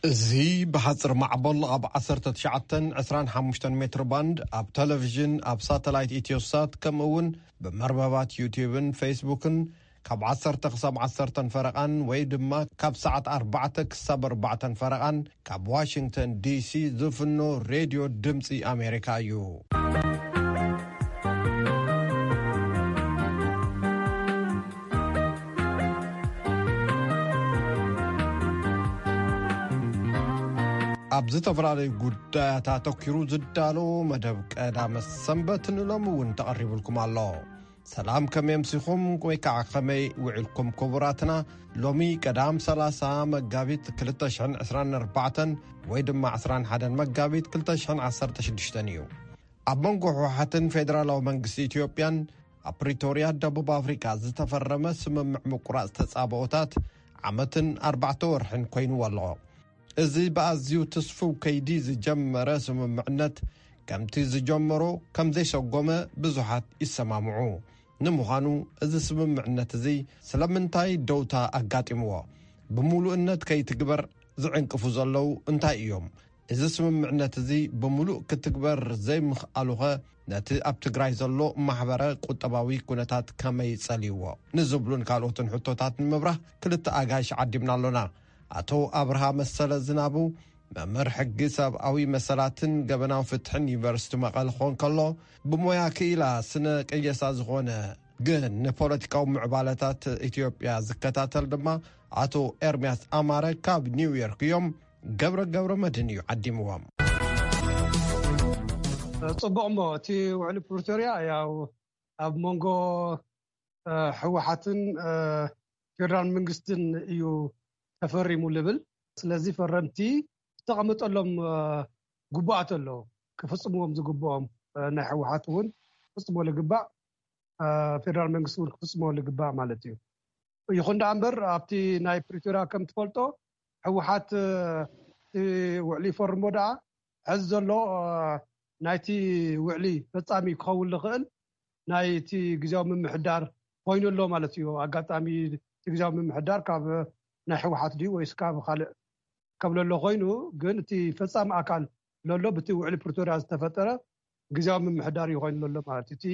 እዚ ብሓጽር ማዕበል ኣብ ዓሰርተ ትሽዓተን ዕስራን ሓሙሽተን ሜትር ባንድ፣ ኣብ ቴሌቪዥን፣ ኣብ ሳተላይት ኢትዮሳት፣ ከምኡ እውን ብመርበባት ዩቲዩብን ፌስቡክን ካብ ዓሰርተ ክሳብ ዓሰርተን ፈረቓን ወይ ድማ ካብ ሰዓት ኣርባዕተ ክሳብ ኣርባዕተን ፈረቓን ካብ ዋሽንግተን ዲሲ ዝፍኖ ሬድዮ ድምፂ ኣሜሪካ እዩ። ኣብ ዝተፈላለዩ ጉዳያት ኣተኪሩ ዝዳሎ መደብ ቀዳመ ሰንበት ንሎሚ እውን ተቐሪቡልኩም ኣሎ። ሰላም፣ ከመይ ኣምሲኹም ወይ ከዓ ከመይ ውዒልኩም ክቡራትና? ሎሚ ቀዳም ሰላሳ መጋቢት ክልተ ሽሕን ዕስራን ኣርባዕተን ወይ ድማ ዕስራን ሓደን መጋቢት ክልተ ሽሕን ዓሰርተ ሽዱሽተን እዩ። ኣብ መንጎ ህወሓትን ፌደራላዊ መንግስቲ ኢትዮጵያን ኣብ ፕሪቶርያ ደቡብ ኣፍሪካ ዝተፈረመ ስምምዕ ምቁራፅ ተፃብኦታት ዓመትን ኣርባዕተ ወርሕን ኮይንዎ ኣሎ። እዚ ብኣዝዩ ትስፉው ከይዲ ዝጀመረ ስምምዕነት ከምቲ ዝጀመሮ ከም ዘይሰጎመ ብዙሓት ይሰማምዑ። ንምዃኑ እዚ ስምምዕነት እዚ ስለምንታይ ደውታ ኣጋጢምዎ? ብምሉእነት ከይትግበር ዝዕንቅፉ ዘለዉ እንታይ እዮም? እዚ ስምምዕነት እዚ ብምሉእ ክትግበር ዘይምኽኣሉኸ ነቲ ኣብ ትግራይ ዘሎ ማሕበረ ቁጠባዊ ኩነታት ከመይ ጸልይዎ? ንዝብሉን ካልኦትን ሕቶታት ንምብራህ ክልተ ኣጋይሽ ዓዲምና ኣሎና። ኣቶ ኣብርሃ መሰለ ዝናቡ መምህር ሕጊ ሰብኣዊ መሰላትን ገበናዊ ፍትሕን ዩኒቨርሲቲ መቐለ ክኾን ከሎ፣ ብሞያ ክኢላ ስነ ቅየሳ ዝኾነ ግን ንፖለቲካዊ ምዕባለታት ኢትዮጵያ ዝከታተል ድማ ኣቶ ኤርሚያስ ኣማረ ካብ ኒውዮርክ እዮም። ገብረ ገብረ መድህን እዩ ዓዲምዎም። ጽቡቕ እሞ እቲ ውዕሊ ፕሪቶርያ ያው ኣብ መንጎ ህወሓትን ፌደራል መንግስትን እዩ ተፈሪሙ ልብል። ስለዚ ፈረምቲ ዝተቐመጠሎም ግቡኣት ኣለዉ ክፍፅምዎም ዝግብኦም፣ ናይ ህወሓት እውን ክፍፅሞ ልግባእ፣ ፌደራል መንግስቲ እውን ክፍፅሞ ልግባእ ማለት እዩ። ይኹን ደኣ እምበር ኣብቲ ናይ ፕሪቶርያ ከም ትፈልጦ ህወሓት እቲ ውዕሊ ይፈርሞ ደኣ ሕዚ ዘሎ ናይቲ ውዕሊ ፈፃሚ ክኸውን ዝኽእል ናይቲ ግዜያዊ ምምሕዳር ኮይኑ ኣሎ ማለት እዩ። ኣጋጣሚ እቲ ግዜያዊ ምምሕዳር ካብ ናይ ህወሓት ድዩ ወይስ ካብ ካልእ ከብለሎ ኮይኑ፣ ግን እቲ ፈፃሚ ኣካል ለሎ ብቲ ውዕሊ ፕሪቶርያ ዝተፈጠረ ግዜያዊ ምምሕዳር እዩ ኮይኑ ለሎ ማለት እዩ። እቲ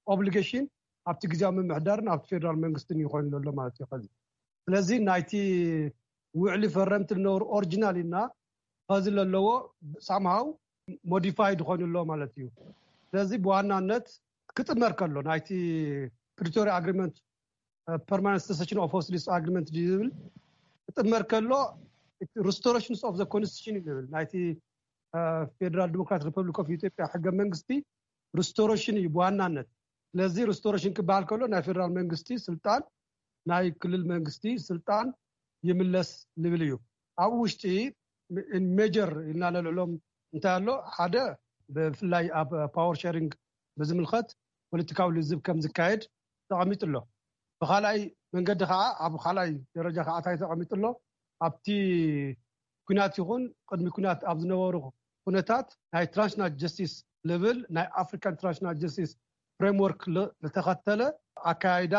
ኦብሊጌሽን ኣብቲ ግዜያዊ ምምሕዳርን ኣብቲ ፌደራል መንግስትን እዩ ኮይኑ ለሎ ማለት እዩ። ከዚ ስለዚ ናይቲ ውዕሊ ፈረምቲ ዝነበሩ ኦሪጂናል እና ኸዚ ለለዎ ሳምሃው ሞዲፋይድ ኮይኑ ኣሎ ማለት እዩ። ስለዚ ብዋናነት ክጥመር ከሎ ናይቲ ፕሪቶሪያ ኣግሪመንት ፐርማነንት ሰሴሽን ኦፍ ሆስቲሊቲ ኣግሪመንት ዝብል ክጥመር ከሎ ሪስቶሬሽንስ ኦፍ ዘ ኮንስቲቱሽን ይብል ናይቲ ፌደራል ዲሞክራት ሪፐብሊክ ኦፍ ኢትዮጵያ ሕገ መንግስቲ ሪስቶሬሽን እዩ ብዋናነት። ስለዚ ሪስቶሬሽን ክበሃል ከሎ ናይ ፌደራል መንግስቲ ስልጣን ናይ ክልል መንግስቲ ስልጣን ይምለስ ዝብል እዩ። ኣብ ውሽጢ ሜጀር ኢልና ነልዕሎም እንታይ ኣሎ ሓደ ብፍላይ ኣብ ፓወር ሸሪንግ ብዝምልከት ፖለቲካዊ ልዝብ ከም ዝካየድ ተቐሚጡ ኣሎ። ብካልኣይ መንገዲ ከዓ ኣብ ካልኣይ ደረጃ ከዓ እንታይ ተቐሚጡ ኣሎ ኣብቲ ኩናት ይኹን ቅድሚ ኩናት ኣብ ዝነበሩ ኩነታት ናይ ትራንሽናል ጀስቲስ ልብል ናይ ኣፍሪካን ትራንሽናል ጀስቲስ ፍሬምወርክ ዝተኸተለ ኣካያይዳ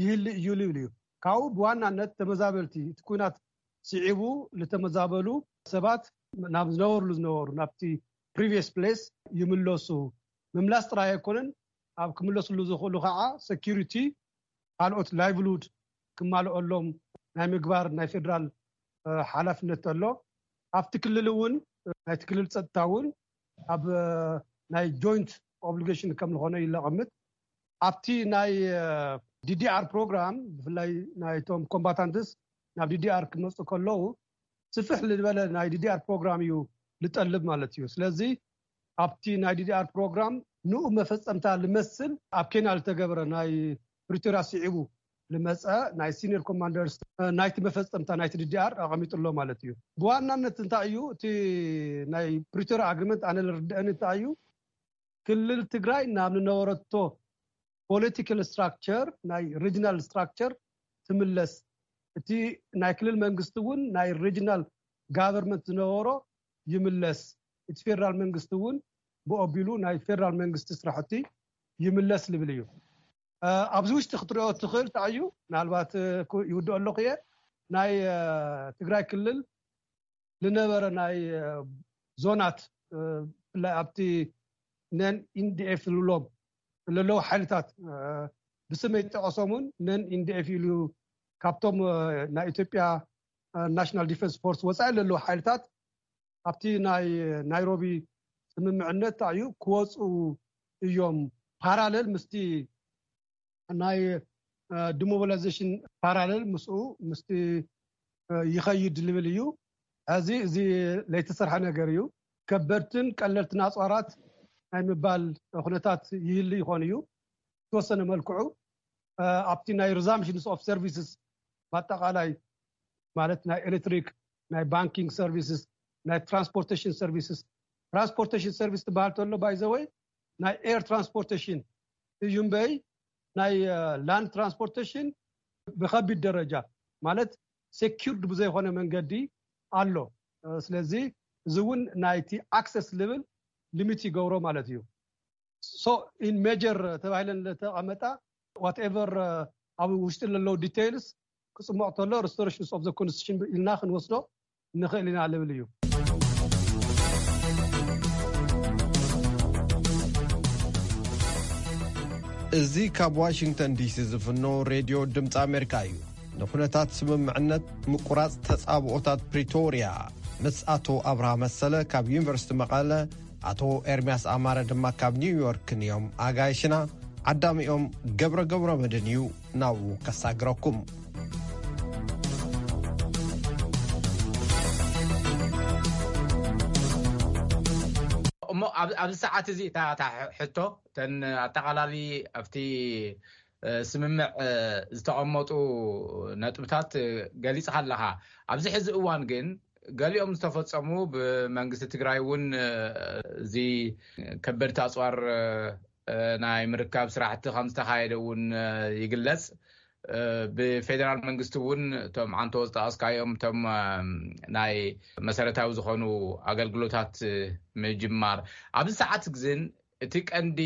ይህል እዩ ልብል እዩ። ካብኡ ብዋናነት ተመዛበልቲ እቲ ኩናት ስዒቡ ዝተመዛበሉ ሰባት ናብ ዝነበርሉ ዝነበሩ ናብቲ ፕሪቪየስ ፕሌስ ይምለሱ። ምምላስ ጥራይ ኣይኮነን፣ ኣብ ክምለስሉ ዝኽእሉ ከዓ ሴኪሪቲ ካልኦት ላይቭሉድ ክማልኦሎም ናይ ምግባር ናይ ፌደራል ሓላፍነት ኣሎ። ኣብቲ ክልል እውን ናይቲ ክልል ፀጥታ እውን ኣብ ናይ ጆይንት ኦብሊጌሽን ከም ዝኾነ ይለቐምጥ። ኣብቲ ናይ ዲዲኣር ፕሮግራም ብፍላይ ናይቶም ኮምባታንትስ ናብ ዲዲኣር ክመፁ ከለዉ ስፍሕ ዝበለ ናይ ዲዲኣር ፕሮግራም እዩ ዝጠልብ ማለት እዩ። ስለዚ ኣብቲ ናይ ዲዲኣር ፕሮግራም ንኡ መፈፀምታ ልመስል ኣብ ኬንያ ዝተገበረ ናይ ፕሪቶርያ ስዒቡ ልመፀ ናይ ሲኒየር ኮማንደርስ ናይቲ መፈፀምታ ናይቲ ዲዲኣር ኣቐሚጡ ኣሎ ማለት እዩ። ብዋናነት እንታይ እዩ እቲ ናይ ፕሪቶርያ ኣግሪመንት ኣነ ዝርድአኒ እንታይ እዩ ክልል ትግራይ ናብ ዝነበረቶ ፖለቲካል ስትራክቸር ናይ ሪጅናል ስትራክቸር ትምለስ። እቲ ናይ ክልል መንግስቲ እውን ናይ ሪጅናል ጋቨርንመንት ዝነበሮ ይምለስ። እቲ ፌደራል መንግስቲ እውን ብኦቢሉ ናይ ፌደራል መንግስቲ ስራሕቲ ይምለስ ዝብል እዩ። ኣብዚ ውሽጢ ክትሪኦ ትኽእል እንታይ እዩ ምናልባት ይውድኦ ኣለኹ እየ ናይ ትግራይ ክልል ዝነበረ ናይ ዞናት፣ ብፍላይ ኣብቲ ነን ኢንዲኤፍ ዝብሎም ዘለዉ ሓይልታት፣ ብስመይ ጠቐሶም እውን ነን ኢንዲኤፍ ኢሉ ካብቶም ናይ ኢትዮጵያ ናሽናል ዲፈንስ ፎርስ ወፃኢ ዘለዉ ሓይልታት ኣብቲ ናይ ናይሮቢ ስምምዕነት እዩ ክወፁ እዮም፣ ፓራለል ምስቲ ናይ ዲሞቢላይዜሽን ፓራለል ምስኡ ምስቲ ይኸይድ ዝብል እዩ። እዚ እዚ ለይተሰርሐ ነገር እዩ። ከበድትን ቀለልትን ኣፅዋራት ናይ ምባል ኩነታት ይህሉ ይኾን እዩ። ተወሰነ መልክዑ ኣብቲ ናይ ሪዛምሽንስ ኦፍ ሰርቪስስ፣ ብኣጠቃላይ ማለት ናይ ኤሌክትሪክ፣ ናይ ባንኪንግ ሰርቪስስ፣ ናይ ትራንስፖርቴሽን ሰርቪስስ። ትራንስፖርቴሽን ሰርቪስ ትበሃል ተሎ ባይዘወይ ናይ ኤር ትራንስፖርቴሽን እዩ እምበይ ናይ ላንድ ትራንስፖርቴሽን ብከቢድ ደረጃ ማለት ሴኪርድ ብዘይኮነ መንገዲ ኣሎ። ስለዚ እዚ እውን ናይቲ ኣክሰስ ልብል ሊሚት ይገብሮ ማለት እዩ። So in major ተባሂለን ለተቐመጣ ዋትኤቨር ኣብ ውሽጢ ለለዉ ዲቴይልስ ክፅሞቕ ተሎ ሪስቶሬሽንስ ኦፍ ዘ ኮንስቲቱሽን ኢልና ክንወስዶ ንኽእል ኢና ልብል እዩ። እዚ ካብ ዋሽንግተን ዲሲ ዝፍኖ ሬድዮ ድምፂ ኣሜሪካ እዩ። ንኩነታት ስምምዕነት ምቁራፅ ተፃብኦታት ፕሪቶርያ ምስ ኣቶ ኣብርሃ መሰለ ካብ ዩኒቨርሲቲ መቐለ፣ ኣቶ ኤርምያስ ኣማረ ድማ ካብ ኒውዮርክን እዮም ኣጋይሽና። ዓዳሚኦም ገብረ ገብረ መድን እዩ ናብኡ ከሳግረኩም። እሞ ኣብዚ ሰዓት እዚ እታ ሕቶ፣ እተን ኣጠቓላሊ ኣብቲ ስምምዕ ዝተቐመጡ ነጥብታት ገሊፅካ ኣለካ። ኣብዚ ሕዚ እዋን ግን ገሊኦም ዝተፈፀሙ፣ ብመንግስቲ ትግራይ እውን እዚ ከበድቲ ኣፅዋር ናይ ምርካብ ስራሕቲ ከም ዝተካየደ እውን ይግለፅ። ብፌደራል መንግስቲ እውን እቶም ዓንቶ ዝጠቀስካዮም እቶም ናይ መሰረታዊ ዝኾኑ ኣገልግሎታት ምጅማር ኣብዚ ሰዓት ግዝን እቲ ቀንዲ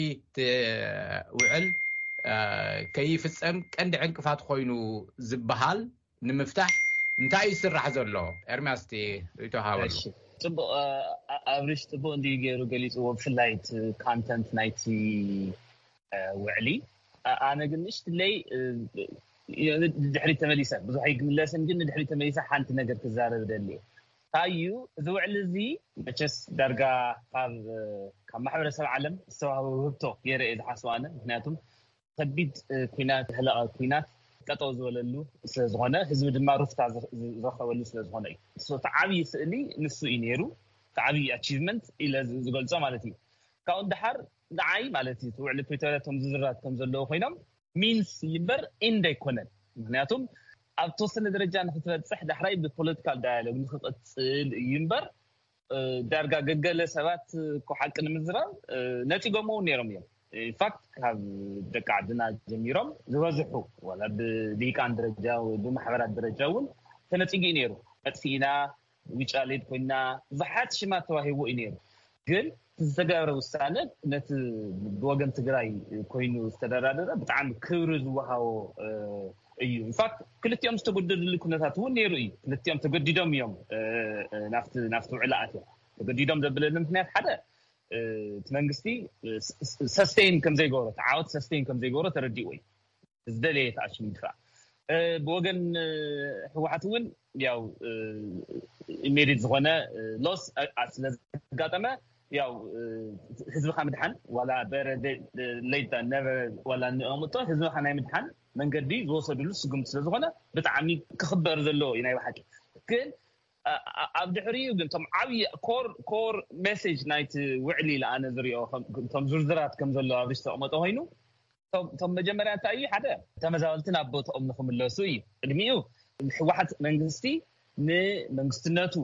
ውዕል ከይፍፀም ቀንዲ ዕንቅፋት ኮይኑ ዝበሃል ንምፍታሕ እንታይ እዩ ዝስራሕ ዘሎ? ኤርምያስ፣ እቲ ርእይቶ ሃበሉ። ጽቡቕ። ኣብሪሽ ጽቡቕ እንዲ ገይሩ ገሊፅዎ፣ ብፍላይ እቲ ካንተንት ናይቲ ውዕሊ። ኣነ ግን ንእሽትለይ ድሕሪት ተመሊሰ፣ ብዙሕ ኣይግምለስን፣ ግን ንድሕሪት ተመሊሰ ሓንቲ ነገር ክዛረብ ደሊ። እንታይ እዩ እዚ ውዕሊ እዚ? መቸስ ዳርጋ ካብ ማሕበረሰብ ዓለም ዝተዋህበ ውህብቶ ገይረ እየ ዝሓስቦ ኣነ። ምክንያቱም ከቢድ ኩናት፣ ህለቐ ኩናት ጠጠው ዝበለሉ ስለዝኾነ፣ ህዝቢ ድማ ሩፍታ ዝረኸበሉ ስለዝኾነ እዩ። እቲ ዓብዪ ስእሊ ንሱ እዩ ነይሩ። እቲ ዓብዪ ኣቺቭመንት ኢለ ዝገልጾ ማለት እዩ። ካብኡ ንደሓር ንዓይ ማለት እዩ፣ እቲ ውዕሊ ፕሪቶርያ እቶም ዝዝራት ከም ዘለዉ ኮይኖም ሚንስ ይምበር ኢንድ ኣይኮነን። ምክንያቱም ኣብ ተወሰነ ደረጃ ንክትበፅሕ ዳሕራይ ብፖለቲካል ዳያሎግ ንክቐፅል እዩ እምበር፣ ዳርጋ ገገለ ሰባት እኮ ሓቂ ንምዝራብ ነፂጎሞ እውን ነይሮም እዮም። ኢንፋክት ካብ ደቂ ዓድና ጀሚሮም ዝበዝሑ ዋላ ብልሂቃን ደረጃ ወይ ብማሕበራት ደረጃ እውን ተነፂጉ እዩ ነይሩ። መጥፊእና ውጫሌት ኮይና ብዙሓት ሽማት ተዋሂቦ እዩ ነይሩ። ግን ዝተገብረ ውሳነ ነቲ ብወገን ትግራይ ኮይኑ ዝተደራደረ ብጣዕሚ ክብሪ ዝወሃቦ እዩ። ኢንፋክት ክልቲኦም ዝተጎደድሉ ኩነታት እውን ነይሩ እዩ። ክልቲኦም ተገዲዶም እዮም ናብቲ ውዕሊ ኣትዮም። ተገዲዶም ዘብለኒ ምክንያት ሓደ እቲ መንግስቲ ሰስቴን ከምዘይገብሮ፣ ተዓወት ሰስቴን ከምዘይገብሮ ተረዲእዎ እዩ። ዝደለየ ተኣሽሙ ይድፋዕ። ብወገን ህወሓት እውን ያው ኢሜዲት ዝኾነ ሎስ ስለዘጋጠመ ያው ህዝብካ ምድሓን ዋላ በረ ለይታ ነበረ ዋላ ንእምጦ ህዝብካ ናይ ምድሓን መንገዲ ዝወሰድሉ ስጉምቲ ስለዝኾነ ብጣዕሚ ክኽበር ዘለዎ እዩ ናይ ብሓቂ። ግን ኣብ ድሕሪኡ ግን እቶም ዓብዪ ኮር ኮር ሜሴጅ ናይቲ ውዕሊ ኢለ ኣነ ዝሪኦ እቶም ዝርዝራት ከም ዘሎ ኣብ ሪስ ተቐመጠ ኮይኑ እቶም መጀመርያ እንታይ እዩ ሓደ ተመዛበልቲ ናብ ቦትኦም ንክምለሱ እዩ። ቅድሚኡ ህወሓት መንግስቲ ንመንግስትነቱ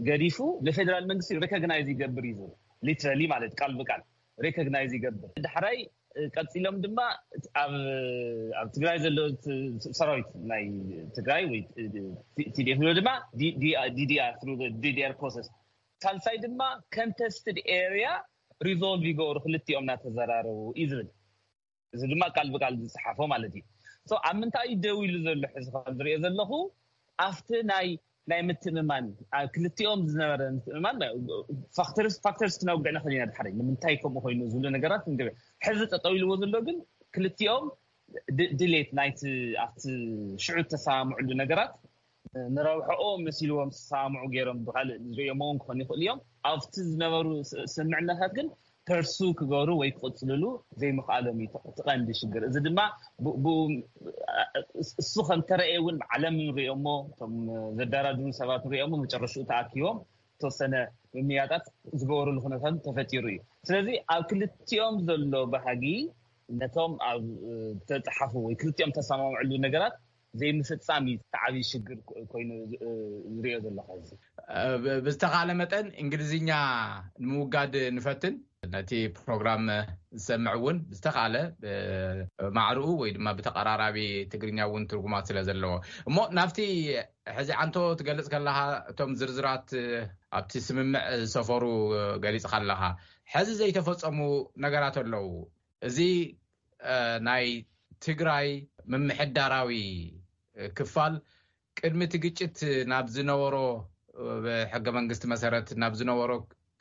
ገዲፉ ንፌደራል መንግስቲ ሪኮግናይዝ ይገብር እዩ ዝብል ሊትራሊ ማለት ቃል ብቃል ሪኮግናይዝ ይገብር። ዳሕራይ ቀፂሎም ድማ ኣብ ትግራይ ዘሎ ሰራዊት ናይ ትግራይ ወይ ቲዲኤፍ ንብሎ ድማ ዲዲኣር ፕሮሰስ ሳልሳይ ድማ ኮንተስትድ ኤርያ ሪዞልቭ ይገብሩ ክልቲኦም እናተዘራረቡ እዩ ዝብል። እዚ ድማ ቃል ብቃል ዝፀሓፎ ማለት እዩ። ኣብ ምንታይ እዩ ደው ኢሉ ዘሎ ሕዚ ከም ዝሪኦ ዘለኹ ኣብቲ ናይ ናይ ምትእምማን፣ ኣብ ክልቲኦም ዝነበረ ምትእምማን፣ ፋክተርስ ፋክተርስ ክነውግዕ ንኽእል ኢና ድሓረይ ንምንታይ ከምኡ ኮይኑ ዝብሉ ነገራት ንገበ። ሕዚ ጠጠው ኢልዎ ዘሎ ግን ክልቲኦም ድሌት ናይቲ ኣብቲ ሽዑ ተሰማምዕሉ ነገራት ንረብሐኦ መሲልዎም ዝሰማምዑ ገይሮም ብካልእ ዝርእዮሞ እውን ክኾኑ ይኽእሉ እዮም። ኣብቲ ዝነበሩ ስምምዕነታት ግን ፐርሱ ክገብሩ ወይ ክቕፅልሉ ዘይምኽኣሎም እዩ እቲ ቀንዲ ሽግር። እዚ ድማ እሱ ከምተረእየ እውን ዓለም ንሪኦሞ፣ እቶም ዘደራድሩ ሰባት ንሪኦሞ፣ መጨረሽኡ ተኣኪቦም ተወሰነ ምምያጣት ዝገበሩሉ ኩነታት ተፈጢሩ እዩ። ስለዚ ኣብ ክልቲኦም ዘሎ ባህጊ ነቶም ኣብ ዝተፅሓፉ ወይ ክልቲኦም ተሰማምዕሉ ነገራት ዘይምፍፃም እዩ እቲ ዓብዪ ሽግር ኮይኑ ዝሪኦ ዘለኹ። ሕዚ ብዝተኻለ መጠን እንግሊዝኛ ንምውጋድ ንፈትን፣ ነቲ ፕሮግራም ዝሰምዕ እውን ብዝተኻለ ማዕርኡ ወይ ድማ ብተቐራራቢ ትግርኛ እውን ትርጉማት ስለ ዘለዎ። እሞ ናብቲ ሕዚ ዓንቶ ትገልጽ ከለኻ፣ እቶም ዝርዝራት ኣብቲ ስምምዕ ዝሰፈሩ ገሊጽካ ኣለኻ። ሕዚ ዘይተፈጸሙ ነገራት ኣለዉ። እዚ ናይ ትግራይ ምምሕዳራዊ ክፋል ቅድሚ እቲ ግጭት ናብ ዝነበሮ፣ ብሕገ መንግስቲ መሰረት ናብ ዝነበሮ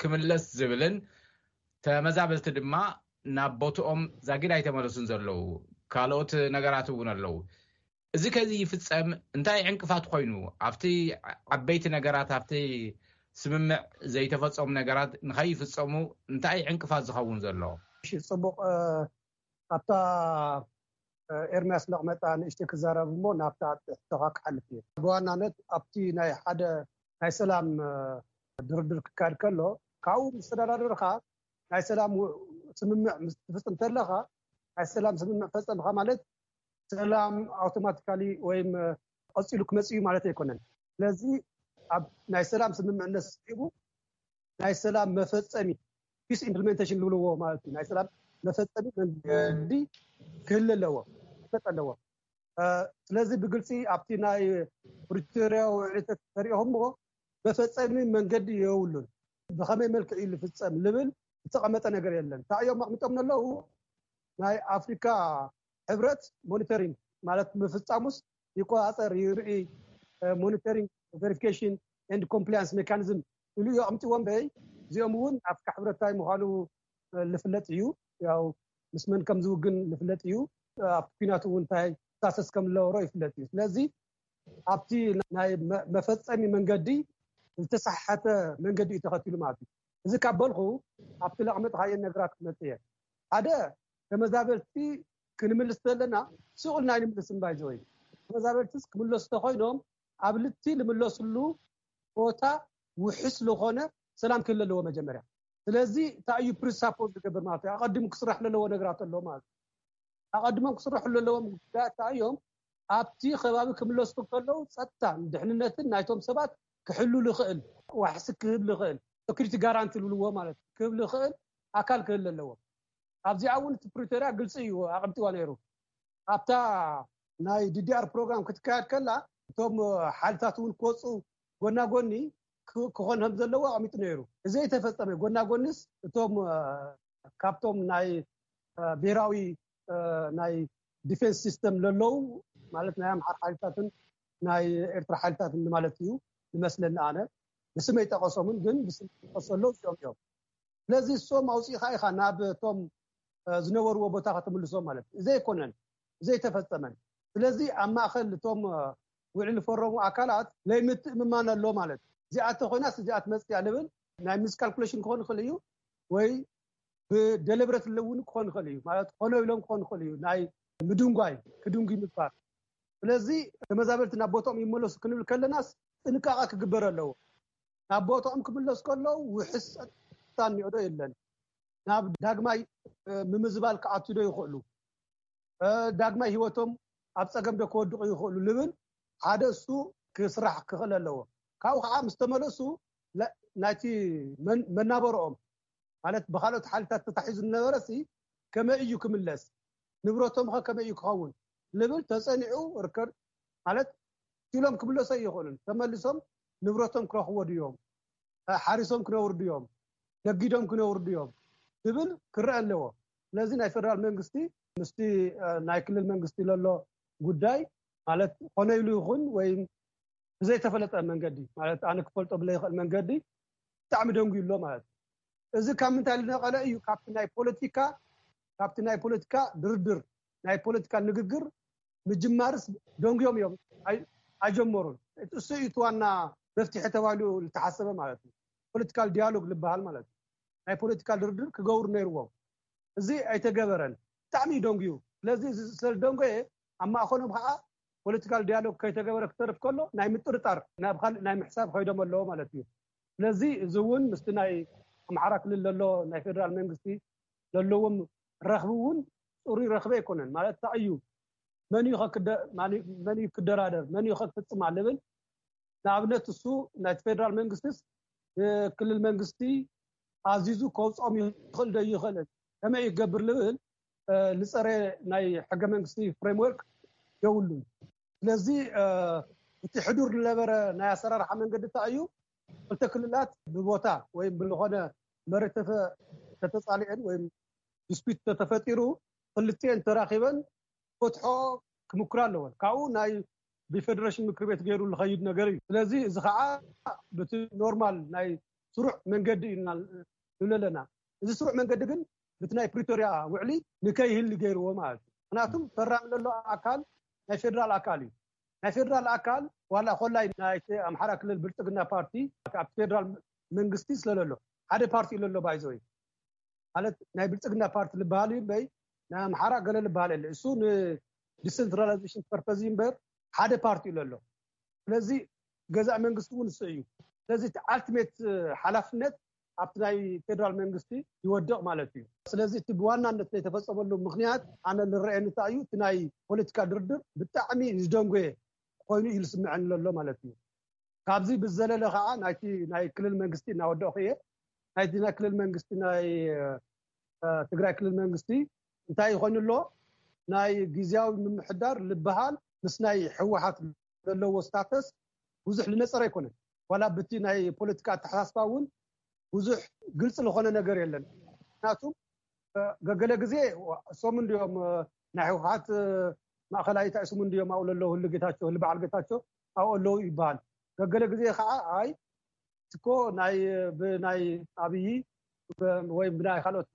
ክምለስ ዝብልን ተመዛበልቲ ድማ ናብ ቦትኦም ዛጊድ ኣይተመለሱን ዘለዉ ካልኦት ነገራት እውን ኣለዉ። እዚ ከዚ ይፍጸም እንታይ ዕንቅፋት ኮይኑ ኣብቲ ዓበይቲ ነገራት ኣብቲ ስምምዕ ዘይተፈጸሙ ነገራት ንኸይፍጸሙ እንታይ ዕንቅፋት ዝኸውን ዘሎ? ጽቡቕ ኣብታ ኤርምያስ ለቕመጣ ንእሽተይ ክዛረብ እሞ ናብታ ሕቶኻ ክሓልፍ እየ። ብዋናነት ኣብቲ ናይ ሓደ ናይ ሰላም ድርድር ክካየድ ከሎ ካብኡ ምስ ተደራደርካ ናይ ሰላም ስምምዕ ምስ ትፍፅም ተለኻ ናይ ሰላም ስምምዕ ፈፀምካ ማለት ሰላም ኣውቶማቲካሊ ወይም ቀፂሉ ክመፅእ እዩ ማለት ኣይኮነን። ስለዚ ኣብ ናይ ሰላም ስምምዕነት ስዒቡ ናይ ሰላም መፈፀሚ ፒስ ኢምፕሊሜንቴሽን ዝብልዎ ማለት እዩ። ናይ ሰላም መፈፀሚ መንገዲ ክህል ኣለዎ ክፈጥ ኣለዎ። ስለዚ ብግልፂ ኣብቲ ናይ ፕሪቶሪያ ውዕሊ ተሪኦኹምዎ መፈፀሚ መንገዲ የብሉን። ብኸመይ መልክዕ እዩ ዝፍፀም ልብል ዝተቐመጠ ነገር የለን። እንታይ እዮም ኣቕሚጦም ዘለዉ? ናይ ኣፍሪካ ሕብረት ሞኒተሪንግ ማለት ምፍፃሙስ ይቆፃፀር ይርኢ፣ ሞኒተሪንግ ቨሪፊኬሽን ኤንድ ኮምፕላያንስ ሜካኒዝም ኢሉ እዩ ኣቕሚጥዎ እምበይ እዚኦም እውን ኣፍሪካ ሕብረት እንታይ ምዃኑ ዝፍለጥ እዩ። ያው ምስ መን ከም ዝውግን ዝፍለጥ እዩ። ኣብቲ ኲናት እውን እንታይ ሳሰስ ከም ዝነበሮ ይፍለጥ እዩ። ስለዚ ኣብቲ ናይ መፈፀሚ መንገዲ ዝተሰሓሐተ መንገዲ እዩ ተኸቲሉ ማለት እዩ። እዚ ካብ በልኩ ኣብቲ ለቕመጥካየን ነገራት ክመፅእ እየ። ሓደ ተመዛበልቲ ክንምልስ ዘለና ስቕ ኢልና ኣይንምልስን። ባይዘወይ ተመዛበልትስ ክምለሱ ተኮይኖም ኣብ ልቲ ዝምለስሉ ቦታ ውሕስ ዝኾነ ሰላም ክህሉ ኣለዎ መጀመርያ። ስለዚ እንታይ እዩ ፕሪሳፖዝ ዝገብር ማለት እዩ? ኣቐዲሙ ክስራሕ ዘለዎ ነገራት ኣሎ ማለት እዩ። ኣቐዲሞም ክስርሑ ዘለዎም ጉዳያት እንታይ እዮም? ኣብቲ ከባቢ ክምለሱ ከለዉ ጸጥታን ድሕንነትን ናይቶም ሰባት ክሕሉ ዝኽእል ዋሕሲ ክህብ ዝኽእል ሴኩሪቲ ጋራንቲ ዝብልዎ ማለት እዩ ክህብ ዝኽእል ኣካል ክህሉ ኣለዎ። ኣብዚኣ እውን እቲ ፕሪቶሪያ ግልፂ እዩ ኣቐምጥዋ ነይሩ። ኣብታ ናይ ዲዲኣር ፕሮግራም ክትካየድ ከላ እቶም ሓይልታት እውን ክወፁ ጎና ጎኒ ክኾን ከም ዘለዎ ኣቐሚጡ ነይሩ። እዚ ዘይተፈፀመ ጎና ጎኒስ እቶም ካብቶም ናይ ብሄራዊ ናይ ዲፌንስ ሲስተም ለለዉ ማለት ናይ ኣምሓር ሓይልታትን ናይ ኤርትራ ሓይልታትን ማለት እዩ ዝመስለኒ ኣነ። ብስመይ ጠቐሶምን ግን ብስም ጠቀሰ ኣለዉ እዚኦም እዮም። ስለዚ እሶም ኣውፂእኻ ኢኻ ናብ እቶም ዝነበርዎ ቦታ ከተምልሶም ማለት እዩ። እዚ ኣይኮነን፣ እዚ ኣይተፈፀመን። ስለዚ ኣብ ማእኸል እቶም ውዕል ዝፈረሙ ኣካላት ለይምትእምማን ኣሎ ማለት እዩ። እዚኣ ተኮይናስ እዚኣ ትመፅእ እያ ልብል ናይ ሚስካልኩሌሽን ክኾን ይኽእል እዩ ወይ ብደለብረት እውን ክኾን ይኽእል እዩ ማለት ኾነ ኢሎም ክኾን ይኽእል እዩ ናይ ምድንጓይ ክድንጉ ምግባር። ስለዚ ተመዛበልቲ ናብ ቦታኦም ይመለሱ ክንብል ከለናስ ጥንቃቐ ክግበር ኣለዎ። ናብ ቦታኦም ክምለሱ ከለዉ ውሕስ ጸጥታ እኒኦ ዶ የለን፣ ናብ ዳግማይ ምምዝባል ክኣቱ ዶ ይኽእሉ፣ ዳግማይ ህይወቶም ኣብ ጸገም ዶ ክወድቑ ይኽእሉ ልብል ሓደ እሱ ክስራሕ ክኽእል ኣለዎ። ካብኡ ከዓ ምስ ተመለሱ ናይቲ መናበረኦም ማለት ብካልኦት ሓይልታት ተታሒዙ ዝነበረ ሲ ከመይ እዩ ክምለስ፣ ንብረቶም ከ ከመይ እዩ ክኸውን ልብል ተፀኒዑ ርከድ ማለት ኢሎም ክምለሶ ይኽእሉን ተመልሶም ንብረቶም ክረኽቦ ድዮም፣ ሓሪሶም ክነብሩ ድዮም፣ ነጊዶም ክነብሩ ድዮም ዝብል ክረአ ኣለዎ። ስለዚ ናይ ፌደራል መንግስቲ ምስቲ ናይ ክልል መንግስቲ ለሎ ጉዳይ ማለት ኾነ ኢሉ ይኹን ወይም ብዘይተፈለጠ መንገዲ፣ ማለት ኣነ ክፈልጦ ብለይኽእል መንገዲ ብጣዕሚ ደንጉዩ ኣሎ ማለት እዩ። እዚ ካብ ምንታይ ዝነቐለ እዩ? ካብቲ ናይ ፖለቲካ ካብቲ ናይ ፖለቲካ ድርድር፣ ናይ ፖለቲካ ንግግር ምጅማርስ ደንጉዮም እዮም፣ ኣይ- ኣይጀመሩን። እሱ እዩ እቲ ዋና መፍትሒ ተባሂሉ ዝተሓሰበ ማለት እዩ። ፖለቲካል ዲያሎግ ዝበሃል ማለት እዩ። ናይ ፖለቲካል ድርድር ክገብሩ ነይርዎም። እዚ ኣይተገበረን። ብጣዕሚ እዩ ደንጉዩ። ስለዚ እዚ ስለዝደንጎየ ኣብ ማእኸሎም ከዓ ፖለቲካል ዲያሎግ ከይተገበረ ክተርፍ ከሎ ናይ ምጥርጣር ናብ ካልእ ናይ ምሕሳብ ከይዶም ኣለዎ ማለት እዩ። ስለዚ እዚ እውን ምስቲ ናይ ኣምሓራ ክልል ዘሎ ናይ ፌደራል መንግስቲ ዘለዎም ረኽቢ እውን ፅሩይ ረኽቢ ኣይኮነን። ማለት እንታይ እዩ? መን እዩ ከክደ- ማን እዩ- መን እዩ ክደራደር፣ መን እዩ ከክፍፅማ ልብል። ንኣብነት እሱ ናይቲ ፌደራል መንግስትስ ንክልል መንግስቲ ኣዚዙ ከውፅኦም ይኽእል ዶ ይኽእልን፣ ከመይ ይገብር ልብል ዝፀረ ናይ ሕገ መንግስቲ ፍሬምወርክ የብሉን። ስለዚ እቲ ሕዱር ዝነበረ ናይ ኣሰራርሓ መንገዲ እንታይ እዩ? ክልተ ክልላት ብቦታ ወይም ብዝኾነ መሬት ተተ- ተተፃሊዐን ወይም ዲስፒት ተተፈጢሩ ክልቲኤን ተራኺበን ፈትሖ ክምክራ ኣለወን። ካብኡ ናይ ብፌደሬሽን ምክር ቤት ገይሩ ዝኸይድ ነገር እዩ። ስለዚ እዚ ከዓ ብቲ ኖርማል ናይ ስሩዕ መንገዲ እዩ ንብል ኣለና። እዚ ስሩዕ መንገዲ ግን ብቲ ናይ ፕሪቶርያ ውዕሊ ንከይህሊ ገይርዎ ማለት እዩ። ምክንያቱም ፈራሚ ዘሎ ኣካል ናይ ፌደራል ኣካል እዩ። ናይ ፌደራል ኣካል ዋላ ኮላይ ናይ ኣምሓራ ክልል ብልፅግና ፓርቲ ኣብ ፌደራል መንግስቲ ስለለሎ ሓደ ፓርቲ ለሎ ባይዘወይ ማለት ናይ ብልፅግና ፓርቲ ዝበሃል እዩ እምበይ ናይ ኣምሓራ ገለ ዝበሃል የለ። እሱ ንዲሰንትራላይዜሽን ፐርፐዝ እዩ እምበር ሓደ ፓርቲ እዩ ለሎ። ስለዚ ገዛእ መንግስቲ እውን እሱ እዩ። ስለዚ እቲ ኣልቲሜት ሓላፍነት ኣብቲ ናይ ፌደራል መንግስቲ ይወድቕ ማለት እዩ። ስለዚ እቲ ብዋናነት ናይ ተፈፀመሉ ምክንያት ኣነ ዝረኣየኒ እንታይ እዩ? እቲ ናይ ፖለቲካ ድርድር ብጣዕሚ ዝደንጎየ ኮይኑ እዩ ዝስምዐኒ ዘሎ ማለት እዩ። ካብዚ ብዝዘለለ ከዓ ናይቲ ናይ ክልል መንግስቲ እናወደእኩ እየ። ናይቲ ናይ ክልል መንግስቲ ናይ ትግራይ ክልል መንግስቲ እንታይ ይኮይኑ ኣሎ? ናይ ግዝያዊ ምምሕዳር ዝበሃል ምስ ናይ ህወሓት ዘለዎ ስታተስ ብዙሕ ዝነፀረ ኣይኮነን። ዋላ ብቲ ናይ ፖለቲካ ኣተሓሳስባ እውን ብዙሕ ግልፂ ዝኾነ ነገር የለን። ምክንያቱ ገገለ ግዜ እሶም እንዲዮም ናይ ህወሓት ማእኸላይ እንታይ ስሙ እንዲዮም ኣብኡ ለለዉ ህሉ ጌታቸው ህሉ በዓል ጌታቸው ኣብኡ ኣለዉ ይበሃል። ገገለ ግዜ ከዓ ኣይ እኮ ናይ ብናይ ኣብይ ወይ ብናይ ካልኦት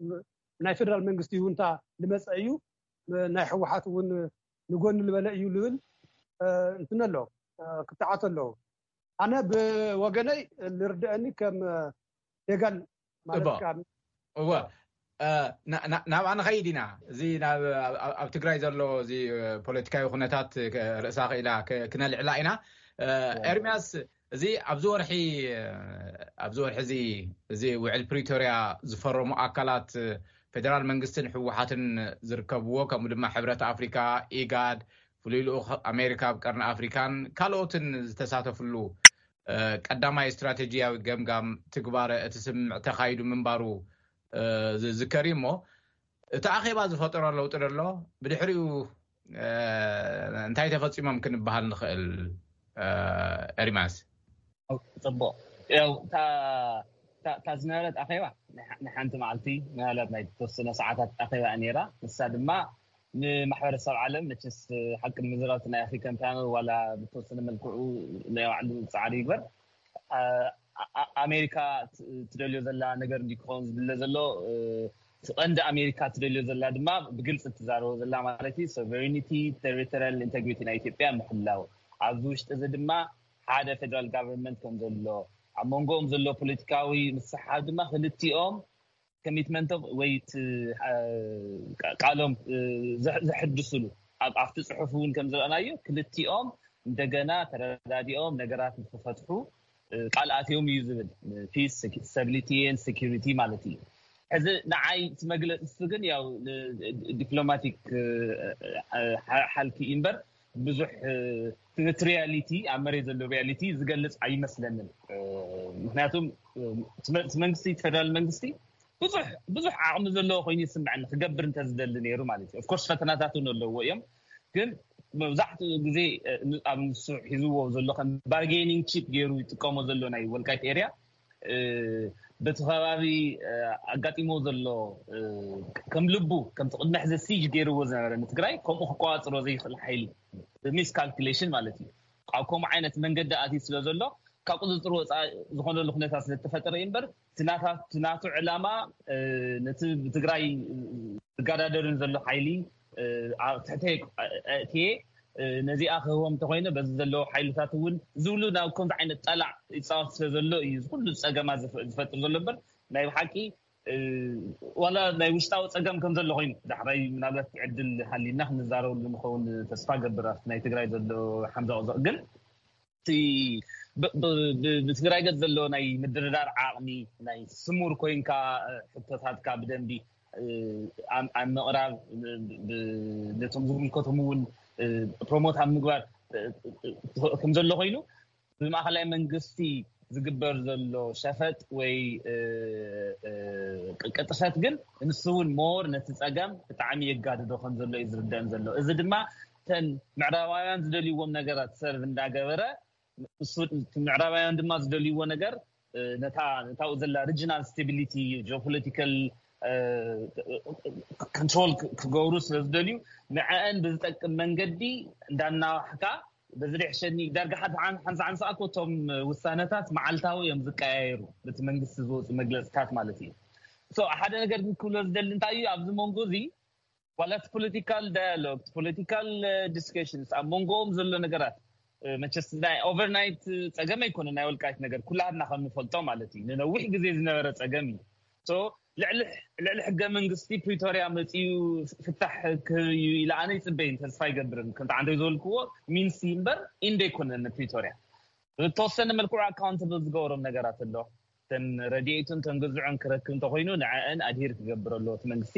ናይ ፌደራል መንግስቲ ይሁንታ ዝመፀ እዩ ናይ ህወሓት እውን ንጎኒ ዝበለ እዩ ዝብል እንትን ኣሎ ክትዓት ኣለዉ። ኣነ ብወገነይ ዝርድአኒ ከም ሌጋል ማለት እወ ናብኣ ንኸይድ ኢና። እዚ ኣብ ትግራይ ዘሎ እዚ ፖለቲካዊ ኩነታት ርእሳ ክኢላ ክነልዕላ ኢና። ኤርሚያስ፣ እዚ ኣብዚ ወርሒ ኣብዚ ወርሒ እዚ እዚ ውዕል ፕሪቶርያ ዝፈረሙ ኣካላት ፌደራል መንግስትን ህወሓትን ዝርከብዎ፣ ከምኡ ድማ ሕብረት ኣፍሪካ፣ ኢጋድ፣ ፍሉይ ልኡኽ ኣሜሪካ ኣብ ቀርኒ ኣፍሪካን ካልኦትን ዝተሳተፍሉ ቀዳማይ ስትራቴጂያዊ ገምጋም ትግባረ እቲ ስምምዕ ተኻይዱ ምንባሩ ዝዝከር እዩ። እሞ እቲ ኣኼባ ዝፈጠሮ ለውጢ ደሎ ብድሕሪኡ እንታይ ተፈፂሞም ክንበሃል ንኽእል? ኤርማስ። ፅቡቅ። ያው እታ ዝነበረት ኣኼባ ንሓንቲ መዓልቲ ምናልባት ናይ ተወሰነ ሰዓታት ኣኼባ ነይራ። ንሳ ድማ ንማሕበረሰብ ዓለም መቸስ ሓቂ ንምዝራብ ናይ ኣፍሪካን ፓነል ዋላ ብተወሰነ መልክዑ ናይ ባዕሉ ፃዕሪ ይግበር ኣሜሪካ ትደልዮ ዘላ ነገር እንዲ ክኸውን ዝድለ ዘሎ እቲ ቀንዲ ኣሜሪካ ትደልዮ ዘላ ድማ ብግልፂ ትዛረቦ ዘላ ማለት እዩ ሶቨሬኒቲ ቴሪቶሪያል ኢንቴግሪቲ ናይ ኢትዮጵያ ምሕላው ኣብዚ ውሽጢ እዚ ድማ ሓደ ፌደራል ጋቨርንመንት ከም ዘሎ ኣብ መንጎኦም ዘሎ ፖለቲካዊ ምስሓብ ድማ ክልቲኦም ኮሚትመንቶም ወይ ቃሎም ዘሕድስሉ ኣብቲ ፅሑፍ እውን ከም ዝረኣናዮ ክልቲኦም እንደገና ተረዳዲኦም ነገራት ንክፈትሑ ቃል ኣትዮም እዩ ዝብል ፒስ ስታቢሊቲን ሴኪሪቲ ማለት እዩ። ሕዚ ንዓይ እቲ መግለፂ እሱ ግን ያው ዲፕሎማቲክ ሓልኪ እዩ እምበር ብዙሕ እቲ ሪያሊቲ ኣብ መሬት ዘሎ ሪያሊቲ ዝገልፅ ኣይመስለንን። ምክንያቱም እቲ መንግስቲ እቲ ፌደራል መንግስቲ ብዙሕ ብዙሕ ዓቕሚ ዘለዎ ኮይኑ ይስምዐኒ ክገብር እንተዝደሊ ነይሩ ማለት እዩ። ኦፍኮርስ ፈተናታት እውን ኣለዎ እዮም ግን መብዛሕትኡ ግዜ ኣብ ንሱ ሒዝዎ ዘሎ ከም ባርጌኒንግ ቺፕ ገይሩ ይጥቀሞ ዘሎ ናይ ወልቃይት ኤርያ በቲ ከባቢ ኣጋጢሞ ዘሎ ከም ልቡ ከምቲ ቅድሚ ሕዚ ሲጅ ገይርዎ ዝነበረ ንትግራይ ከምኡ ክቆፃፀሮ ዘይኽእል ሓይሊ ሚስ ካልኩሌሽን ማለት እዩ። ኣብ ከምኡ ዓይነት መንገዲ ኣትዩ ስለ ዘሎ ካብ ቁፅፅር ወፃኢ ዝኾነሉ ኩነታት ስለ ዝተፈጠረ እዩ እምበር እቲ ናታ- እቲ ናቱ ዕላማ ነቲ ብትግራይ ዝጋዳደርን ዘሎ ሓይሊ ኣብ ትሕተይ እትየ ነዚኣ ክህቦም እንተኮይነ በዚ ዘለዎ ሓይልታት እውን ዝብሉ ናብ ከምዚ ዓይነት ጠላዕ ይፃወት ስለ ዘሎ እዩ ኩሉ ፀገማ ዝፈጥር ዘሎ እምበር ናይ ብሓቂ ዋላ ናይ ውሽጣዊ ፀገም ከም ዘሎ ኮይኑ ዳሕራይ ምናልባት ዕድል ሃሊና ክንዛረበሉ ንኸውን ተስፋ ገብር ኣብቲ ናይ ትግራይ ዘሎ ሓምዛ ቁዘቕ ግን ብትግራይ ገፅ ዘሎ ናይ ምድርዳር ዓቕሚ ናይ ስሙር ኮይንካ ሕቶታትካ ብደንቢ ኣብ ምቕራብ ነቶም ዝምልከቶም እውን ፕሮሞት ኣብ ምግባር ከም ዘሎ ኮይኑ ብማእኸላይ መንግስቲ ዝግበር ዘሎ ሸፈጥ ወይ ቅጥፈት ግን ንሱ እውን ሞር ነቲ ፀገም ብጣዕሚ የጋድዶ ከም ዘሎ እዩ ዝርደን ዘሎ። እዚ ድማ ተን ምዕራባውያን ዝደልይዎም ነገራት ሰርቭ እንዳገበረ ምዕራባውያን ድማ ዝደልይዎ ነገር ነታ ነታው ዘላ ሪጂናል ስታቢሊቲ ጂኦፖለቲካል ኮንትሮል ክገብሩ ስለ ዝደልዩ ንዐአን ብዝጠቅም መንገዲ እንዳናዋሕካ በዚ ሪሕሸኒ ዳርጋ ሓንቲ ሓንሳ ኮቶም ውሳነታት መዓልታዊ እዮም ዝቀያየሩ በቲ መንግስቲ ዝወፁ መግለፅታት ማለት እዩ ሓደ ነገር ግን ክብሎ ዝደሊ እንታይ እዩ ኣብዚ መንጎ እዚ ዋላ እቲ ፖለቲካል ዳያሎግ ፖለቲካል ዲስከሽንስ ኣብ መንጎኦም ዘሎ ነገራት መቸስ ናይ ኦቨርናይት ፀገም ኣይኮነ ናይ ወልቃይት ነገር ኩላትና ከም ንፈልጦ ማለት እዩ ንነዊሕ ግዜ ዝነበረ ፀገም እዩ ልዕሊ ሕገ መንግስቲ ፕሪቶርያ መፅኡ ፍታሕ ክህብ እዩ ኢለ ኣነ ይፅበይን ተስፋ ይገብርን ከምቲ ዓንደይ ዝበልክዎ ሚንሲ እምበር ኢንደ ኣይኮነን ፕሪቶርያ ብተወሰነ መልክዑ ኣካውንተብል ዝገበሮም ነገራት ኣሎ ተን ረድኤቱን ተን ግዝዑን ክረክብ እንተኮይኑ ንዐአን ኣድሂር ክገብር ኣለዎ እቲ መንግስቲ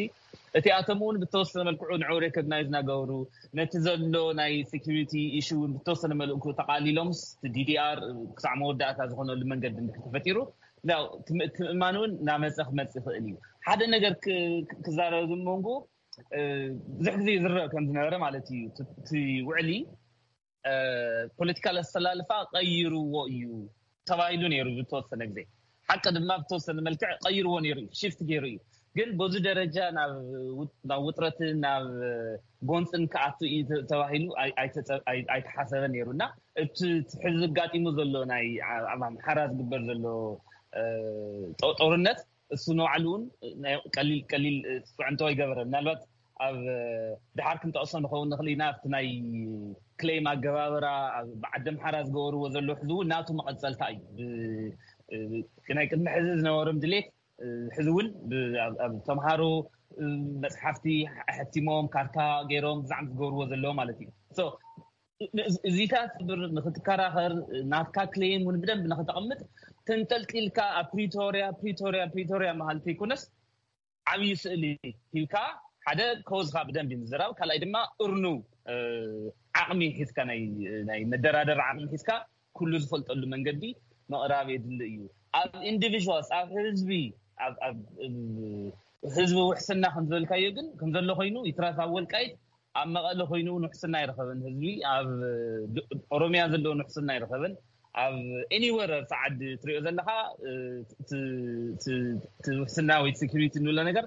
እቲኣቶም እውን ብተወሰነ መልክዑ ንዑ ሬኮግናይዝ እናገበሩ ነቲ ዘሎ ናይ ሴኪሪቲ ኢሹ እውን ብተወሰነ መልእኩ ተቃሊሎምስ ዲዲኣር ክሳዕ መወዳእታ ዝኾነሉ መንገዲ እንድሕር ተፈጢሩ ምእማን እውን እናመፀ ክመፅ ይኽእል እዩ ሓደ ነገር ክዛረብ ዝመንጉ ብዙሕ ግዜ ዝረእ ከም ዝነበረ ማለት እዩ እቲ ውዕሊ ፖለቲካል ኣሰላልፋ ቀይርዎ እዩ ተባሂሉ ነይሩ ዝተወሰነ ግዜ ሓቂ ድማ ብተወሰነ መልክዕ ቀይርዎ ነይሩ እዩ ሽፍት ገይሩ እዩ ግን በዚ ደረጃ ናብ ውጥረትን ናብ ጎንፅን ክኣቱ እዩ ተባሂሉ ኣይተሓሰበ ነይሩ እና እቲ ሕዚ ኣጋጢሙ ዘሎ ናይ ኣብ ኣምሓራ ዝግበር ዘሎ ጦርነት እሱ ንባዕሉ እውን ቀሊል ቀሊል ፅዕንቶ ይገበረ ምናልባት ኣብ ድሓር ክንጠቕሶ ንኸውን ንኽእል ኢና ኣብቲ ናይ ክሌም ኣገባብራ ኣብ ዓዲ ኣምሓራ ዝገበርዎ ዘሎ ሕዚ እውን ናቱ መቐፀልታ እዩ ናይ ቅድሚ ሕዚ ዝነበሮም ድሌት ሕዚ እውን ኣብ ተምሃሮ መፅሓፍቲ ኣሕቲሞም ካርታ ገይሮም ብዛዕሚ ዝገብርዎ ዘለዎ ማለት እዩ እዚታት ብር ንክትከራኸር ናትካ ክሌም እውን ብደንብ ንክተቐምጥ ተንጠልጢልካ ኣብ ፕሪቶርያ ፕሪቶርያ ፕሪቶርያ መሃል ተይኮነስ ዓብዪ ስእሊ ሂብካ ሓደ ኮዝካ ብደንብ ምዝራብ ካልኣይ ድማ እርኑ ዓቕሚ ሒዝካ ናይ መደራደር ዓቕሚ ሒዝካ ኩሉ ዝፈልጠሉ መንገዲ ምቕራብ የድሊ እዩ ኣብ ኢንዲቪዋልስ ኣብ ህዝቢ ህዝቢ ውሕስና ከምዝበልካዮ ግን ከምዘሎ ኮይኑ ይትረፍ ኣብ ወልቃይት ኣብ መቐለ ኮይኑ እውን ውሕስና ኣይረኸበን ህዝቢ ኣብ ኦሮሚያ ዘለውን ውሕስና ኣይረኸበን ኣብ ኤኒወር ኣብቲ ዓዲ ትሪኦ ዘለካ ውሕስና ወይ ሴኪሪቲ እንብሎ ነገር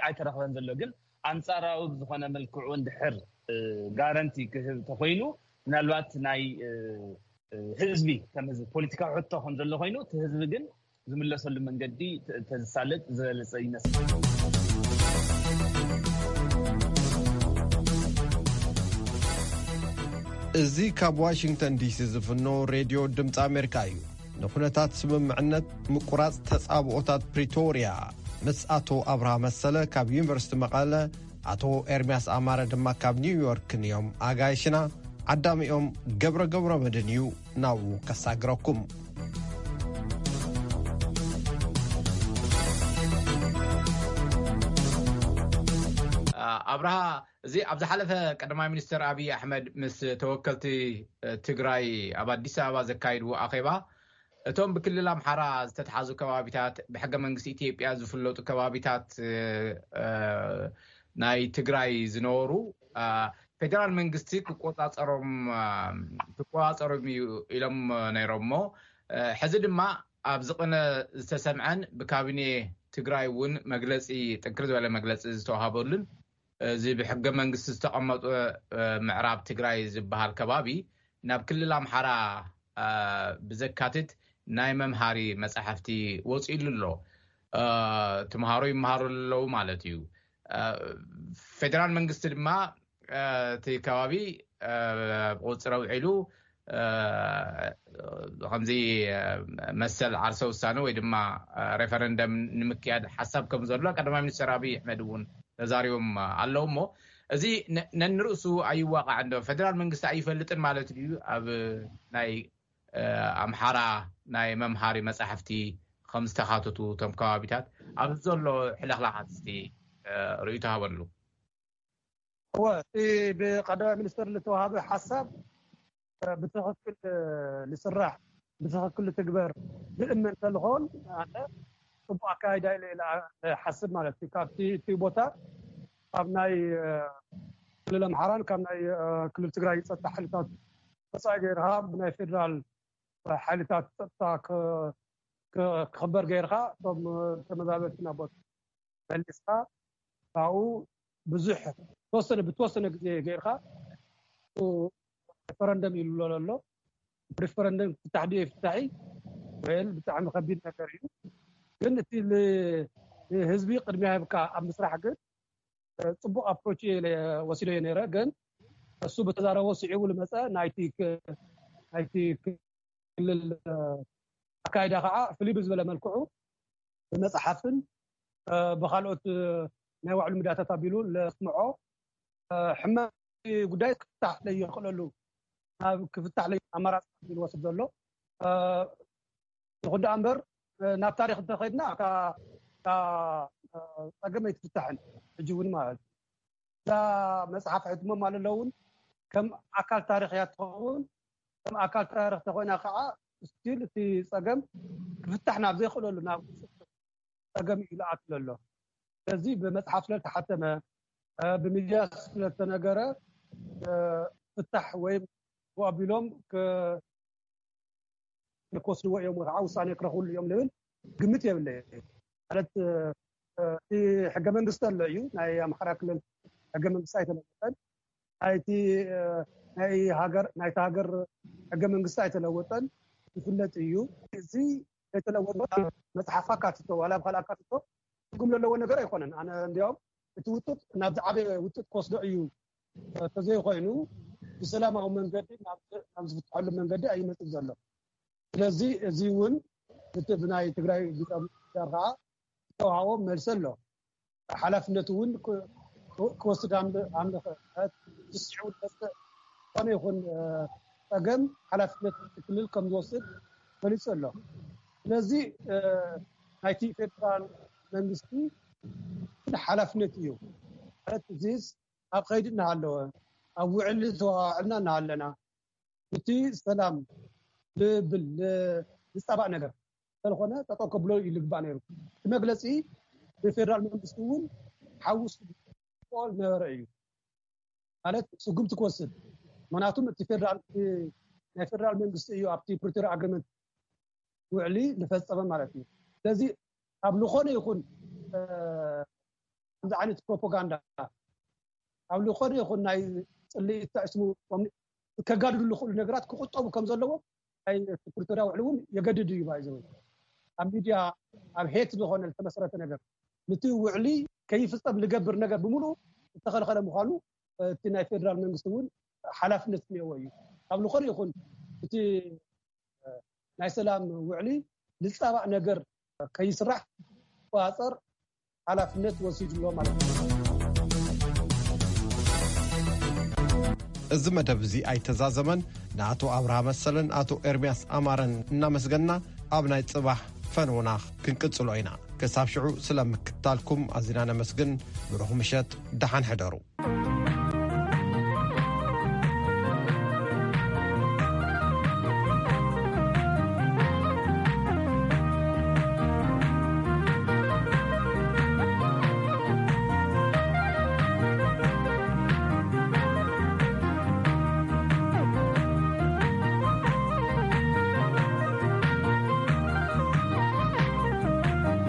ኣይተረኸበን ዘሎ ግን ኣንፃራዊ ብዝኾነ መልክዑ እንድሕር ጋረንቲ ክህብ ተኮይኑ ምናልባት ናይ ህዝቢ ከም ህዝቢ ፖለቲካዊ ሕቶ ከም ዘሎ ኮይኑ እቲ ህዝቢ ግን ዝምለሰሉ መንገዲ ተዝሳለጥ ዝበለፀ ይመስል። እዚ ካብ ዋሽንግተን ዲሲ ዝፍኖ ሬድዮ ድምፂ ኣሜሪካ እዩ። ንኩነታት ስምምዕነት ምቁራፅ ተፃብኦታት ፕሪቶርያ ምስ ኣቶ ኣብርሃ መሰለ ካብ ዩኒቨርሲቲ መቐለ ኣቶ ኤርምያስ ኣማረ ድማ ካብ ኒውዮርክ ንዮም ኣጋይሽና ዓዳሚኦም ገብረ ገብረ መድን እዩ ናብኡ ከሳግረኩም። ኣብርሃ፣ እዚ ኣብ ዝሓለፈ ቀዳማይ ሚኒስትር ኣብይ ኣሕመድ ምስ ተወከልቲ ትግራይ ኣብ ኣዲስ ኣበባ ዘካይድዎ ኣኼባ እቶም ብክልል ኣምሓራ ዝተትሓዙ ከባቢታት ብሕገ መንግስቲ ኢትዮጵያ ዝፍለጡ ከባቢታት ናይ ትግራይ ዝነበሩ ፌደራል መንግስቲ ክቆፃፀሮም ክቆፃፀሮም እዩ ኢሎም ነይሮም እሞ ሕዚ ድማ ኣብዚ ቅነ ዝተሰምዐን ብካቢኔ ትግራይ እውን መግለፂ ጥንክር ዝበለ መግለፂ ዝተዋሃበሉን እዚ ብሕገ መንግስቲ ዝተቐመጡ ምዕራብ ትግራይ ዝበሃል ከባቢ ናብ ክልል ኣምሓራ ብዘካትት ናይ መምሃሪ መጻሕፍቲ ወጺሉ ኣሎ። ተምሃሮ ይመሃሩ ኣለዉ ማለት እዩ። ፌደራል መንግስቲ ድማ እቲ ከባቢ ብቁፅፅር ኣውዒሉ ከምዚ መሰል ዓርሰ ውሳነ ወይ ድማ ሬፈረንደም ንምክያድ ሓሳብ ከም ዘሎ ቀዳማይ ሚኒስትር ኣብይ ኣሕመድ እውን ተዛሪቦም ኣለዉ። እሞ እዚ ነንርእሱ ኣይዋቃዕ እንዶ ፌደራል መንግስቲ ኣይፈልጥን ማለት እዩ? ኣብ ናይ ኣምሓራ ናይ መምሃሪ መጻሕፍቲ ከም ዝተኻተቱ እቶም ከባቢታት ኣብዚ ዘሎ ሕልኽላኻት እስቲ ርእይቶ ሃበሉ። እወ፣ እቲ ብቀዳማይ ሚኒስትር ዝተዋሃበ ሓሳብ ብትኽክል ዝስራሕ፣ ብትኽክል ዝትግበር ዝእመን እንተዝኸውን ኣነ ጽቡቕ ኣካይዳ ኢለ ኢለ ሓስብ ማለት እዩ። ካብቲ እቲ ቦታ ካብ ናይ ክልል ኣምሓራን ካብ ናይ ክልል ትግራይ ጸጥታ ሓይልታት ወፃኢ ገይርካ ብናይ ፌደራል ሓይልታት ጸጥታ ክኽበር ገይርካ እቶም ተመዛበልቲ ናብ ቦታ መሊስካ ካብኡ ብዙሕ ተወሰነ ብተወሰነ ግዜ ገይርካ ሪፈረንደም ኢሉ ኣሎ። ሪፈረንደም ክፍታሕ ድዩ ይፍታሕ ወይ ብጣዕሚ ከቢድ ነገር እዩ። ግን እቲ ህዝቢ ቅድሚያ ሂብካ ኣብ ምስራሕ ግን ፅቡቅ ኣፕሮች ወሲዶ እየ ነረ። ግን እሱ ብተዛረቦ ስዒቡ ዝመፀ ናይቲ ክልል ኣካይዳ ከዓ ፍልይ ብዝበለ መልክዑ ብመፅሓፍን ብካልኦት ናይ ባዕሉ ሚድያታት ኣቢሉ ለስምዖ ሕመ ጉዳይ ክፍታሕ ለይኽእለሉ ናብ ክፍታሕ ለይ ኣማራፂ ዝወስድ ዘሎ። ይኹን ደኣ እምበር ናብ ታሪክ እንተኸድና ጸገም ኣይትፍታሕን። ሕጂ እውን ማለት እዛ መፅሓፍ ሕትሞም ኣለለውን ከም ኣካል ታሪክ እያ ትኸውን። ከም ኣካል ታሪክ ተኮይና ከዓ ስቲል እቲ ጸገም ክፍታሕ ናብ ዘይክእለሉ ናብ ጸገም እዩ ዝኣትለሎ። ስለዚ ብመፅሓፍ ስለተሓተመ ብሚድያ ስለተነገረ ፍታሕ ወይም ኣቢሎም ክወስድዎ እዮም ወይ ከዓ ውሳኔ ክረኽብሉ እዮም ዝብል ግምት የብለይ። ማለት እቲ ሕገ መንግስቲ ኣሎ እዩ። ናይ ኣምሓራ ክልል ሕገ መንግስቲ ኣይተለወጠን። ናይቲ ናይ ሃገር ናይቲ ሃገር ሕገ መንግስቲ ኣይተለወጠን፣ ይፍለጥ እዩ። እዚ ዘይተለወጠ መፅሓፍ ኣካትቶ ዋላ ኣብ ካልእ ኣካትቶ ትርጉም ዘለዎ ነገር ኣይኮነን። ኣነ እንዲያውም እቲ ውጥጥ ናብ ዝዓበየ ውጥጥ ክወስዶ እዩ። ተዘይኮይኑ ብሰላማዊ መንገዲ ናብ ዝፍትሐሉ መንገዲ ኣይመፅእ ዘሎ። ስለዚ እዚ እውን እቲ ብናይ ትግራይ ጊዜያዊ ምምሕዳር ከዓ ዝተዋሃቦ መልሲ ኣሎ። ሓላፍነቱ እውን ክወስድ ኣምልኸ ዝስዕቡ ዝመፅእ ዝኾነ ይኹን ፀገም ሓላፍነት ክልል ከም ዝወስድ ገሊፁ ኣሎ። ስለዚ ናይቲ ፌደራል መንግስቲ ሓላፍነት እዩ። ማለት እዚስ ኣብ ከይዲ እናሃለወ ኣብ ውዕሊ ተዋዕልና እናሃለና እቲ ሰላም ልብል ዝፃባእ ነገር ስለዝኾነ ጠጠው ከብሎ ይልግባእ ነይሩ። እቲ መግለፂ ብፌደራል መንግስቲ እውን ሓውስ ል ነበረ እዩ። ማለት ስጉምቲ ክወስድ ምክንያቱም እቲ ፌደራል ናይ ፌደራል መንግስቲ እዩ ኣብቲ ፕሪቶሪያ ኣግሪመንት ውዕሊ ዝፈፀመ ማለት እዩ። ስለዚ ኣብ ዝኾነ ይኹን ከምዚ ዓይነት ፕሮፓጋንዳ ኣብ ዝኾነ ይኹን ናይ ፅልኢ ተዕስሙ ከጋድዱ ዝኽእሉ ነገራት ክቁጠቡ ከም ዘለዎ ናይ ፕሪቶሪያ ውዕሊ እውን የገድድ እዩ። ባይዘው ኣብ ሚድያ ኣብ ሄት ዝኾነ ዝተመሰረተ ነገር ነቲ ውዕሊ ከይፍፀም ዝገብር ነገር ብምሉእ ዝተኸልኸለ ምዃኑ እቲ ናይ ፌደራል መንግስቲ እውን ሓላፍነት ክህልዎ እዩ። ኣብ ዝኾነ ይኹን እቲ ናይ ሰላም ውዕሊ ዝፃባእ ነገር ከይስራሕ ክቆፃፀር ሓላፍነት ወሲዱ ኣሎ ማለት እዩ። እዚ መደብ እዚ ኣይተዛዘመን። ንኣቶ ኣብርሃ መሰለን ኣቶ ኤርምያስ ኣማረን እናመስገንና ኣብ ናይ ፅባሕ ፈንውና ክንቅፅሎ ኢና። ክሳብ ሽዑ ስለ ምክትታልኩም ኣዚና ነመስግን። ብሩኽ ምሸት፣ ደሓን ሕደሩ።